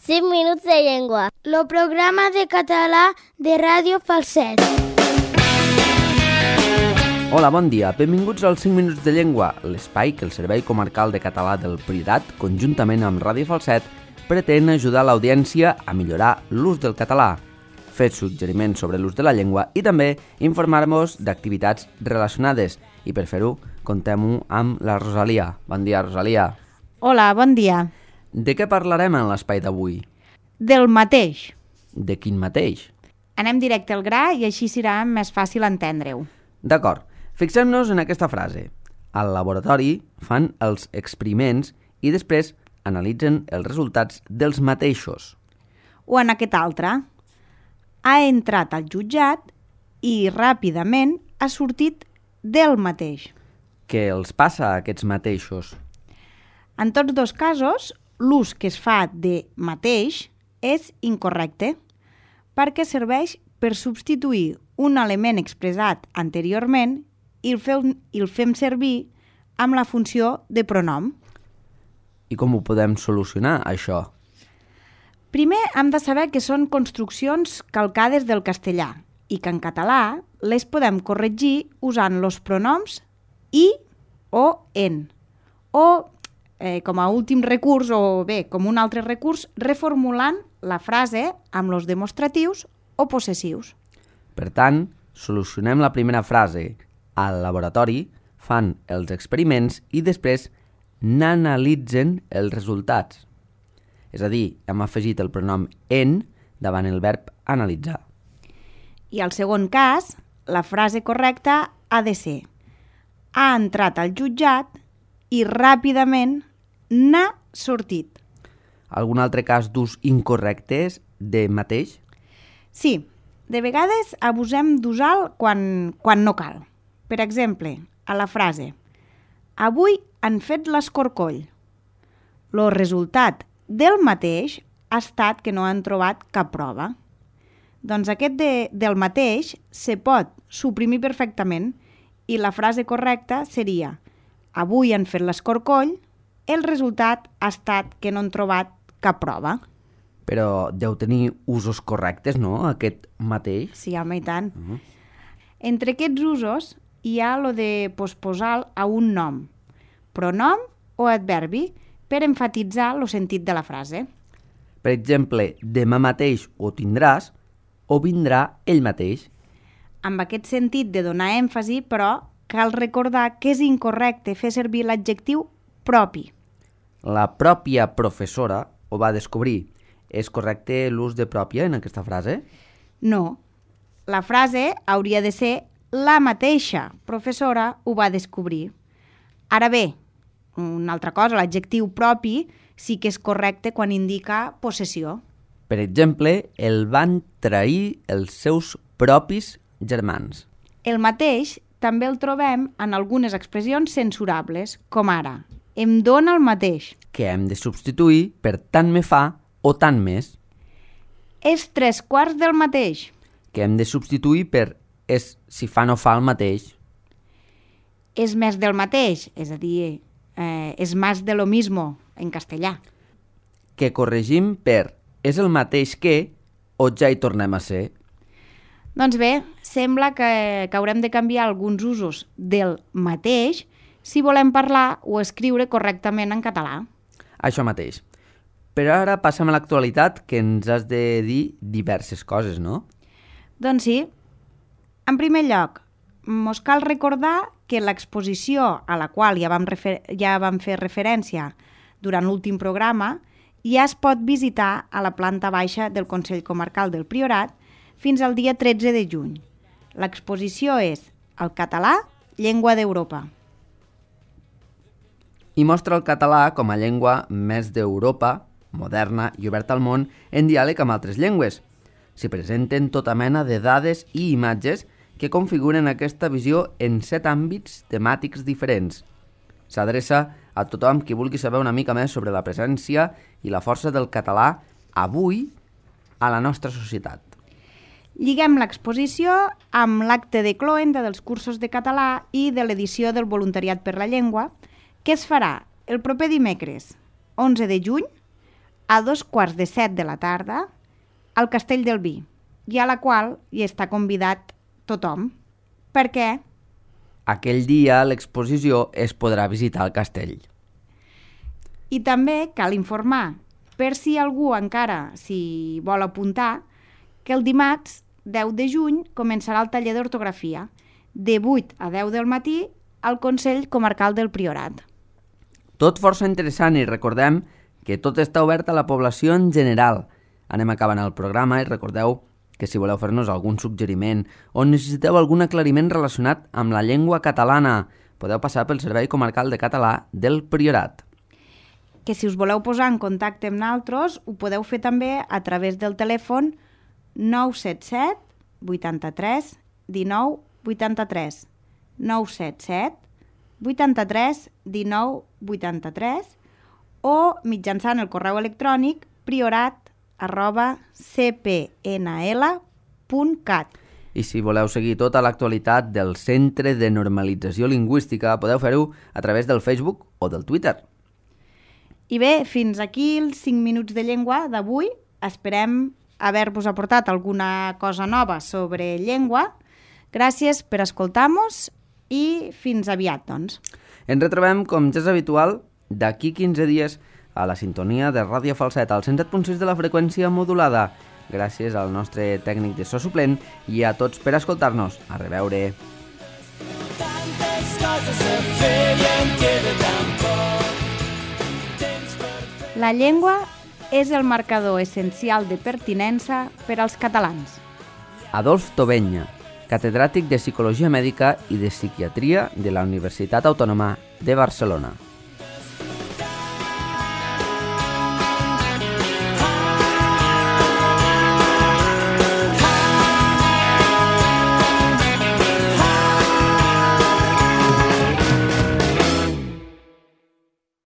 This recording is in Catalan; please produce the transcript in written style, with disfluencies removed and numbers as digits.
5 minuts de llengua. El programa de català de Ràdio Falset. Hola, bon dia. Benvinguts als 5 minuts de llengua, l'espai que el Servei Comarcal de Català del Priorat, conjuntament amb Ràdio Falset, pretén ajudar l'audiència a millorar l'ús del català, fer suggeriments sobre l'ús de la llengua i també informar-vos d'activitats relacionades. I per fer-ho, contem-ho amb la Rosalia. Bon dia, Rosalia. Hola, bon dia. De què parlarem en l'espai d'avui? Del mateix. De quin mateix? Anem directe al gra i així serà més fàcil entendre-ho. D'acord. Fixem-nos en aquesta frase. Al laboratori fan els experiments i després analitzen els resultats dels mateixos. O en aquest altre. Ha entrat al jutjat i ràpidament ha sortit del mateix. Què els passa a aquests mateixos? En tots dos casos, l'ús que es fa de mateix és incorrecte perquè serveix per substituir un element expressat anteriorment i el fem servir amb la funció de pronom. I com ho podem solucionar, això? Primer hem de saber que són construccions calcades del castellà i que en català les podem corregir usant els pronoms i o en. O, com a últim recurs, o bé, com un altre recurs, reformulant la frase amb els demostratius o possessius. Per tant, solucionem la primera frase. Al laboratori fan els experiments i després n'analitzen els resultats. És a dir, hem afegit el pronom en davant el verb analitzar. I al segon cas, la frase correcta ha de ser: ha entrat al jutjat i ràpidament n'ha sortit. Algun altre cas d'ús incorrecte de mateix? Sí, de vegades abusem d'usar-lo quan no cal. Per exemple, a la frase avui han fet l'escorcoll. El resultat del mateix ha estat que no han trobat cap prova. Doncs aquest del mateix se pot suprimir perfectament i la frase correcta seria avui han fet l'escorcoll, el resultat ha estat que no han trobat cap prova. Però deu tenir usos correctes, no?, aquest mateix? Sí, home, i tant. Entre aquests usos hi ha lo de posposar a un nom, pronom o adverbi, per enfatitzar el sentit de la frase. Per exemple, demà mateix ho tindràs o vindrà ell mateix. Amb aquest sentit de donar èmfasi, però, cal recordar que és incorrecte fer servir l'adjectiu propi. La pròpia professora ho va descobrir. És correcte l'ús de pròpia en aquesta frase? No. La frase hauria de ser la mateixa professora ho va descobrir. Ara bé, una altra cosa, l'adjectiu propi sí que és correcte quan indica possessió. Per exemple, el van trair els seus propis germans. El mateix també el trobem en algunes expressions censurables, com ara, em dóna el mateix. Que hem de substituir per tant me fa o tant més. És 3/4 del mateix. Que hem de substituir per és si fa no fa el mateix. És més del mateix, és a dir, és más de lo mismo en castellà. Que corregim per és el mateix que o ja hi tornem a ser. Doncs bé, sembla que haurem de canviar alguns usos del mateix si volem parlar o escriure correctament en català. Això mateix. Però ara passem a l'actualitat, que ens has de dir diverses coses, no? Doncs sí. En primer lloc, mos cal recordar que l'exposició a la qual ja vam fer referència durant l'últim programa ja es pot visitar a la planta baixa del Consell Comarcal del Priorat fins al dia 13 de juny. L'exposició és El català, llengua d'Europa. I mostra el català com a llengua més d'Europa, moderna i oberta al món, en diàleg amb altres llengües. S'hi presenten tota mena de dades i imatges que configuren aquesta visió en 7 àmbits temàtics diferents. S'adreça a tothom qui vulgui saber una mica més sobre la presència i la força del català avui a la nostra societat. Lliguem l'exposició amb l'acte de cloenda dels cursos de català i de l'edició del Voluntariat per la Llengua, que es farà el proper dimecres 11 de juny a 2:15 de la tarda al Castell del Vi, i a la qual hi està convidat tothom. Per què? Aquell dia a l'exposició es podrà visitar el castell. I també cal informar, per si algú encara s'hi vol apuntar, que el dimarts 10 de juny començarà el taller d'ortografia, de 8 a 10 del matí al Consell Comarcal del Priorat. Tot força interessant i recordem que tot està obert a la població en general. Anem acabant el programa i recordeu que si voleu fer-nos algun suggeriment o necessiteu algun aclariment relacionat amb la llengua catalana, podeu passar pel Servei Comarcal de Català del Priorat. Que si us voleu posar en contacte amb nosaltres, ho podeu fer també a través del telèfon 977 83 19 83 977 83 19 83 o mitjançant el correu electrònic priorat@cpnl.cat. I si voleu seguir tota l'actualitat del Centre de Normalització Lingüística, podeu fer-ho a través del Facebook o del Twitter. I bé, fins aquí els 5 minuts de llengua d'avui. Esperem haver-vos aportat alguna cosa nova sobre llengua. Gràcies per escoltar-nos i fins aviat, doncs. Ens retrobem, com ja és habitual, d'aquí 15 dies a la sintonia de Ràdio Falset al 107.6 de la freqüència modulada. Gràcies al nostre tècnic de so suplent i a tots per escoltar-nos. A reveure. La llengua és el marcador essencial de pertinença per als catalans. Adolf Tobenya, catedràtic de Psicologia Mèdica i de Psiquiatria de la Universitat Autònoma de Barcelona.